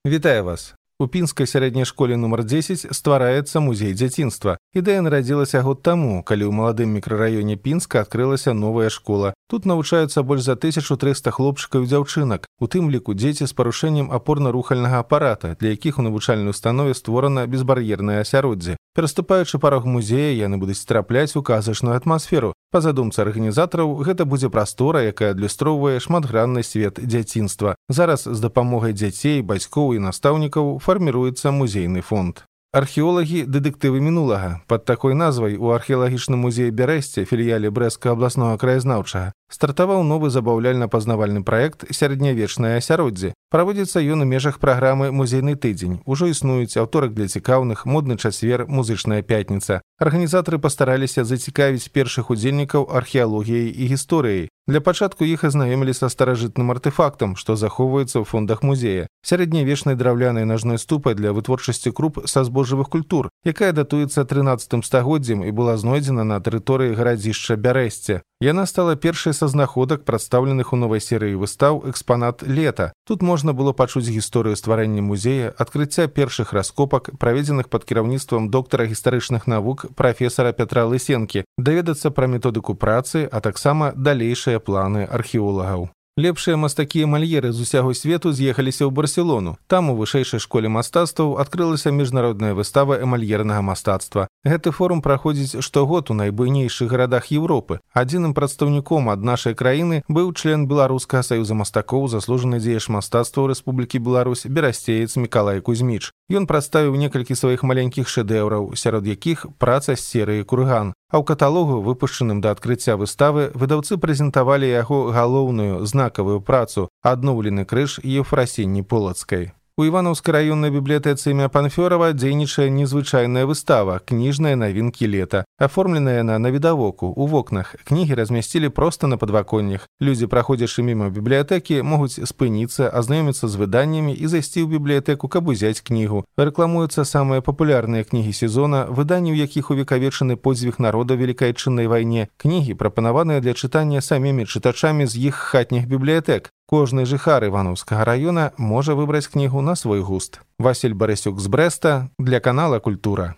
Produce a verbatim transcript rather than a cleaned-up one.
Вітаю вас! У пінскай сярэдняй школе нумар дзесяць ствараецца музей дзяцінства. Ідэя нарадзілася год таму, калі ў маладым мікрараёне Пінска адкрылася новая школа. Тут навучаюцца больш за тысячу трыста хлопчыкаў і дзяўчынак, у тым ліку дзеці з парушэннем апорна-рухальнага апарата, для якіх у навучальнай установе створана безбар'ернае асяроддзе. Пераступаючы парог музея, яны будуць трапляць у казачную атмасферу. Па задумцы арганізатараў, гэта будзе прастора, якая адлюстроўвае шматгранны свет дзяцінства. Зараз з дапамогай дзяцей, бацькоў і настаўнікаў фарміруецца музейны фонд. Археолагі дэтэктывы мінулага. Пад такой назвай у археалагічным музеі Бярэсце, філіяле Брэсцкага абласнога краязнаўчага, стартаваў новы забаўляльна-пазнавальны праект «Сярэднявечнае асяроддзе». Праводзіцца ён у межах праграмы «Музейны тыдзень». Ужо існуюць аўторак для цікаўных, модны чацвер, музычная пятніца. Арганізатары пастараліся зацікавіць першых удзельнікаў археалогіяй і гісторыяй. Для пачатку іх азнаёмілі са старажытным артэфактам, што захоўваецца ў фондах музея. Сярэднявечнай драўлянай нажной ступай для вытворчасці круп са збожжавых культур, якая датуецца трынаццатым стагоддзем і была знойдзена на тэрыторыі гарадзішча Бярэсце. Яна стала першай са знаходак, прадстаўленых у новай серыі выстаў «Экспанат лета». Тут можна было пачуць гісторыю стварэння музея, адкрыцця першых раскопак, праведзеных пад кіраўніцтвам доктара гістарычных навук прафесара Пятра Лысенкі, даведацца пра методыку працы, а таксама далейшыя планы археолагаў. Лепшыя мастакі-эмальеры з усяго свету з'ехаліся ў Барселону. Там у вышэйшай школе мастацтваў адкрылася міжнародная выстава эмальернага мастацтва. Гэты форум праходзіць штогод у найбуйнейшых гарадах Еўропы. Адзіным прадстаўніком ад нашай краіны быў член Беларускага саюза мастакоў, заслужаны дзеяч мастацтва ў Рэспублікі Беларусь, берасцеец Мікалай Кузьміч. Ён прадставіў некалькі сваіх маленькіх шэдэўраў, сярод якіх праца з серыі «Курган». А ў каталогу, выпушчаным да адкрыцця выставы, выдаўцы прэзентавалі яго галоўную знакавую працу «Адноўлены крыж Ефрасіні Полацкай». У Іванаўскай раённай бібліятэцы імя Панфёрава дзейнічае незвычайная выстава «Кніжныя навінкі лета». Аформленая яна на відавоку, у вокнах. Кнігі размясцілі проста на падваконнях. Людзі, праходзячы міма бібліятэкі, могуць спыніцца, азнаёміцца з выданнямі і зайсці ў бібліятэку, каб узяць кнігу. Рэкламуюцца самыя папулярныя кнігі сезона, выданні ў якіх увекавечаны подзвіг народа ў Велікай Адчыннай вайне. Кнігі прапанаваныя для чытання самімі чытачамі з іх хатніх бібліятэк. Кожны жыхар Іванаўскага раёна можа выбраць кнігу на свой густ. Васіль Барысюк з Брэста для канала «Культура».